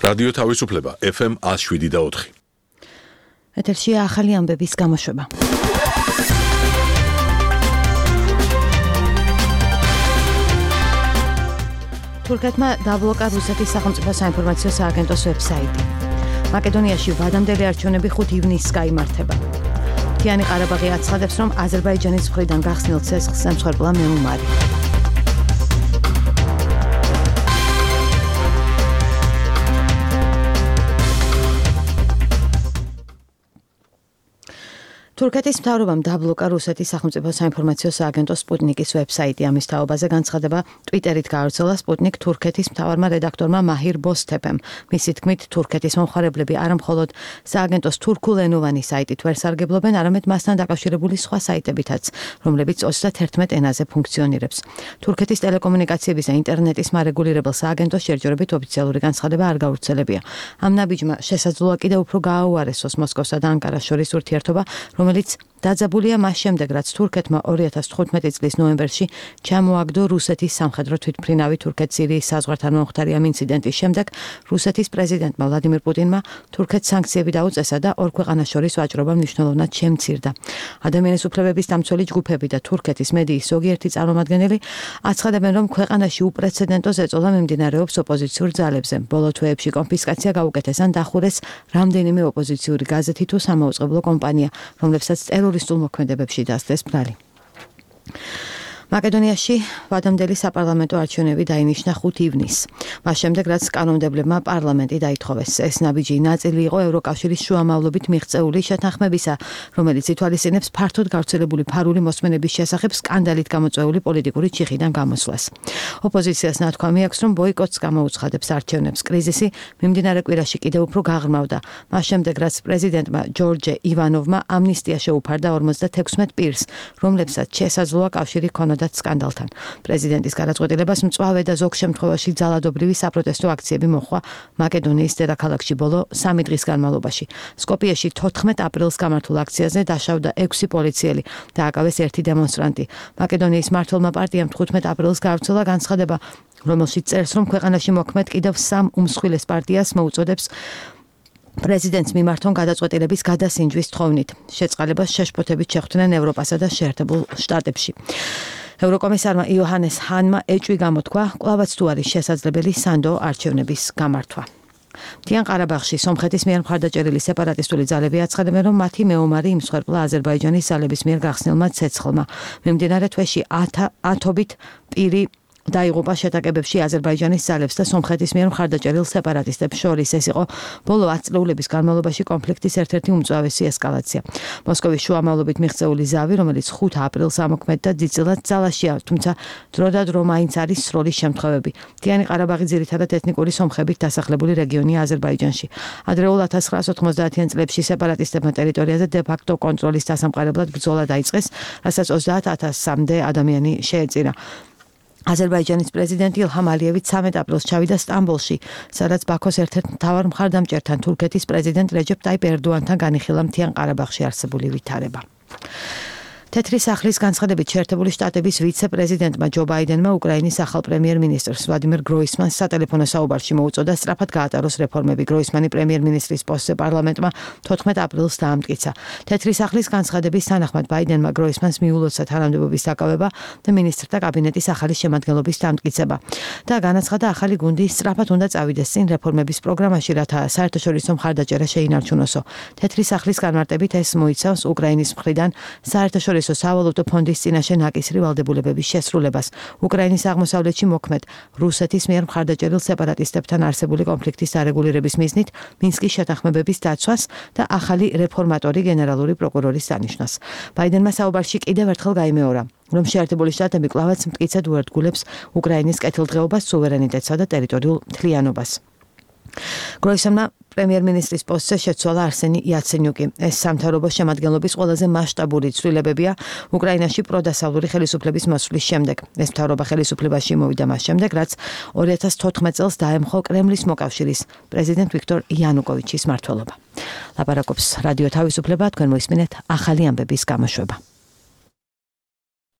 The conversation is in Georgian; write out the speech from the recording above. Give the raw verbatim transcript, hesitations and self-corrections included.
რადიო თავისუფლება ეფ ემ one oh seven და four. ეთერშია ახალი ამბების გამოშვება. თურქეთმა დაბლოკა რუსეთის სახელმწიფო საინფორმაციო სააგენტოს ვებსაიტი. მაკედონიაში ვადამდელი არჩევნები ხუთი ივნისს გაიმართება. მთიანი ყარაბაღი აცხადებს, რომ აზერბაიჯანის მხრიდან გახსნილ ცეცხლს ემსხვერპლა მეომარი. თურქეთის მთავრობამ დაბლოკა რუსეთის სახელმწიფო საინფორმაციო სააგენტოს სპუტნიკის ვებსაიტი. ამის თაობაზე განცხადება ტვიტერით გაავრცელა სპუტნიკ თურქეთის მთავარმა რედაქტორმა მაჰირ ბოსთეფემ. მისი თქმით, თურქეთის მომხმარებლები არა მხოლოდ სააგენტოს თურქულენოვანი საიტით ვერ სარგებლობენ, არამედ მასთან დაკავშირებული სხვა საიტებითაც, რომლებიც ოცდაათერთმეტ ენაზე ფუნქციონირებს. თურქეთის ტელეკომუნიკაციების და ინტერნეტის მარეგულირებელ სააგენტოს შერჯერებით ოფიციალური განცხადება არ გავრცელებია. ამ ნაბიჯმა შესაძლოა კიდევ უფრო გააუარესოს მოსკოვსა და ანკარას შორის ურთიერთობა, რომელიც დაძაბულია მას შემდეგ, რაც თურქეთმა ორი ათას თხუთმეტი წლის ნოემბერში ჩამოაგდო რუსეთის სამხედრო თვითმფრინავი თურქეთ-სირიის საზღვართან მომხდარი ამ ინციდენტის შემდეგ რუსეთის პრეზიდენტმა ვლადიმირ პუტინმა თურქეთს სანქციები დაუწესა და ორ ქვეყანას შორის ვაჭრობა მნიშვნელოვნად შემცირდა. ადამიანის უფლებების დამცველი ჯგუფები და თურქეთის მედიის ზოგიერთი წარმომადგენელი აცხადებენ, რომ ქვეყანაში უპრეცედენტო ზეწოლა მიმდინარეობს ოპოზიციურ ძალებზე. ბოლო თვეებში კონფისკაცია გაუკეთეს ან დახურეს რამდენიმე ოპოზიციური გაზეთი თუ სამაუწყებლო კომპანია, რომლებსაც ტერორისტულ მოქმედებებში დასდეს ბრალი. მაკედონიაში ვადამდელი საპარლამენტო არჩევნები დაინიშნა ხუთი ივნისს. მას შემდეგ, რაც კანონმდებლებმა პარლამენტი დაითხოვეს. ეს ნაბიჯი ნაწილი იყო ევროკავშირის შუამავლობით მიღწეული შეთანხმებისა, რომელიც ითვალისწინებს ფართოდ გავრცელებული ფარული მოსმენების შესახებ სკანდალით გამოწვეული პოლიტიკური ჩიხიდან გამოსვლას. ოპოზიციას ნათქვამი აქვს, რომ ბოიკოტს გამოუცხადებს არჩევნებს. კრიზისი მიმდინარე კვირაში კიდევ უფრო გაღრმავდა. მას შემდეგ, რაც პრეზიდენტმა ჯორჯე ივანოვმა ამნისტია შეუფარდა ორმოცდათექვსმეტ პირს, რომლებსაც შესაძლოა კავშირი ჰქონოდათ სკანდალთან. პრეზიდენტის გადაწყვეტილებას მწვავე და ზოგ შემთხვევაში ძალადობრივი საპროტესტო აქციები მოჰყვა მაკედონიის დედაქალაქში ბოლო სამი დღის განმავლობაში. სკოპიეში თოთხმეტ აპრილს გამართულ აქციაზე დაშავდა ექვსი პოლიციელი და აკავეს ერთი დემონსტრანტი. მაკედონიის მმართველმა პარტიამ თხუთმეტ აპრილს გავრცელა განცხადება, რომელშიც წერს, რომ ქვეყანაში მოქმედ კიდევ სამ უმსხვილეს პარტიას მოუწოდებს პრეზიდენტს მიმართონ გადაწყვეტილების გადასინჯვის თხოვნით. შეწყალებას შეშფოთებით შეხვდნენ ევროპასა და შეერთებულ შტატებში. ევროკომისარმა იოჰანეს ჰანმა ეჭვი გამოთქვა, კვლავაც თუ არის შესაძლებელი სანდო არჩევნების გამართვა. მთიან ყარაბაღში სომხეთის მიერ მხარდაჭერილი სეპარატისტული ძალები აცხადებენ, რომ მათი მეომარი იმსხვერპლა აზერბაიჯანის ძალების მიერ გახსნილმა ცეცხლმა. მიმდინარე თვეში ათობით პირი დაიღუპა შეტაკებებში აზერბაიჯანის ძალებს და სომხეთის მიერ მხარდაჭერილ სეპარატისტებს შორის. ეს იყო ბოლო ათ წლეულების განმავლობაში კონფლიქტის ერთ-ერთი უმწვავესი ესკალაცია. მოსკოვის შუამავლობით მიღწეული ზავი, რომელიც ხუთ აპრილს ამოქმედდა, ძიწილად ძალაშია, თუმცა დრო და დრო მაინც არის სროლის შემთხვევები. მთიანი ყარაბაღი ძირითადად ეთნიკური სომხებით დასახლებული რეგიონია აზერბაიჯანში. ადრეულ ათას ცხრაას ოთხმოცდაათიან წლებში სეპარატისტებმა ტერიტორიაზე დე-ფაქტო კონტროლის დასამყარებლად ბრძოლა დაიწყეს, რასაც ოცდაათ ათასამდე ადამიანი შეეწირა. აზერბაიჯანის პრეზიდენტი ილჰამ ალიევი ცამეტ აპრილს ჩავიდა სტამბოლში, სადაც ბაქოს ერთ-ერთ მთავარ მხარდამჭერთან თურქეთის პრეზიდენტ რეჯეპ ტაიპ ერდოანთან განიხილა მთიან ყარაბაღში არსებული ვითარება. თეთრი სახლის განცხადებით შეერთებული შტატების ვიცე-პრეზიდენტმა ჯო ბაიდენმა უკრაინის ახალ პრემიერ-მინისტრს ვლადიმირ გროისმანს სატელეფონო საუბარში მოუწოდა სწრაფად გაატაროს რეფორმები. გროისმანი პრემიერ-მინისტრის პოსტზე პარლამენტმა თოთხმეტ აპრილს დაამტკიცა. თეთრი სახლის განცხადების თანახმად ბაიდენმა გროისმანს მიულოცა თანამდებობის დაკავება და მინისტრთა კაბინეტის ახალი შემადგენლობის დამტკიცება და განაცხადა, ახალი გუნდი სწრაფად უნდა წავიდეს წინ რეფორმების პროგრამაში, რათა საერთაშორისო მხარდაჭერა შეინარჩუნოსო. თეთრი სახლის განმარტებით ეს მოიცავს უკრაინის მხრიდან საერთაშორისო სავალუტო ფონდის წინაშე ნაკისრი ვალდებულებების შესრულებას. უკრაინის აღმოსავლეთში მოქმედ რუსეთის მიერ მხარდაჭერილ სეპარატისტებთან არსებული კონფლიქტის არეგულირების მიზნით მინსკის შეთანხმებების დაცვას და ახალი რეფორმატორი გენერალური პროკურორის დანიშვნას. ბაიდენმა საუბარში კიდევ ერთხელ გაიმეორა, რომ შეერთებული შტატები კვლავაც მტკიცედ უერთგულებს უკრაინის კეთილდღეობას, სუვერენიტეტსა და ტერიტორიულ მთლიანობას. გროისმანმა პრემიერ-მინისტრის პოსტზე შეცვალა არსენი იაცენიუკი. ეს სამთავრობო შემადგენლობის ყველაზე მასშტაბური ცვლილებებია უკრაინაში პროდასავლური ხელისუფლების მოსვლის შემდეგ. ეს მთავრობა ხელისუფლებაში მოვიდა მას შემდეგ, რაც ორი ათას თოთხმეტ წელს დაემხო კრემლის მოკავშირის პრეზიდენტ ვიქტორ იანუკოვიჩის მმართველობა. ლაპარაკობს რადიო თავისუფლება, თქვენ მოისმინეთ ახალი ამბების გამოშვება.